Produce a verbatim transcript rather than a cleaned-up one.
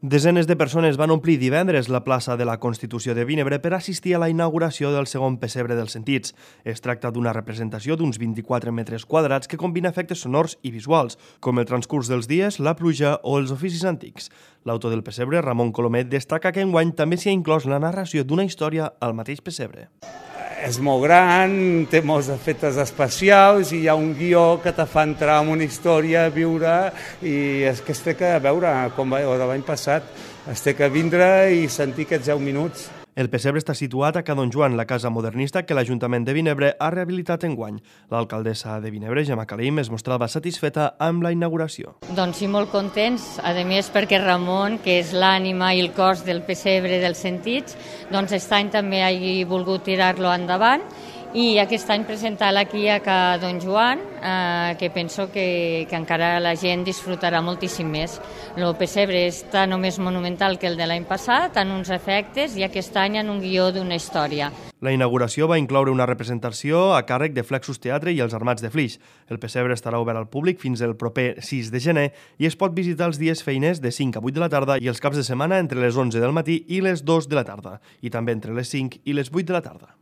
Desenes de persones van omplir divendres la plaça de la Constitució de Vinebre per assistir a la inauguració del segon pessebre dels sentits. Es tracta d'una representació d'uns vint-i-quatre metres quadrats que combina efectes sonors i visuals, com el transcurs dels dies, la pluja o els oficis antics. L'autor del pessebre, Ramon Colomet, destaca que enguany també s'hi ha inclòs la narració d'una història al mateix pessebre. És molt gran, té molts efectes especials i hi ha un guió que te fa entrar en una història, a viure, i és que es té que veure, com va de l'any passat, es té que vindre i sentir aquests deu minuts. El pessebre està situat a Ca Don Joan, la casa modernista que l'Ajuntament de Vinebre ha rehabilitat enguany. L'alcaldessa de Vinebre, Gemma Calim, es mostrava satisfeta amb la inauguració. Doncs sí, molt contents, a més perquè Ramon, que és l'ànima i el cos del pessebre dels sentits, doncs aquest any també hagi volgut tirar-lo endavant i aquest any presentar-lo aquí a Ca Don Joan, eh, que penso que, que encara la gent disfrutarà moltíssim més. El pessebre està només monumental que el de l'any passat, en uns efectes, i aquest any en un guió d'una història. La inauguració va incloure una representació a càrrec de Flexus Teatre i els Armats de Flix. El pessebre estarà obert al públic fins el proper sis de gener i es pot visitar els dies feiners de cinc a vuit de la tarda i els caps de setmana entre les onze del matí i les dues de la tarda, i també entre les cinc i les vuit de la tarda.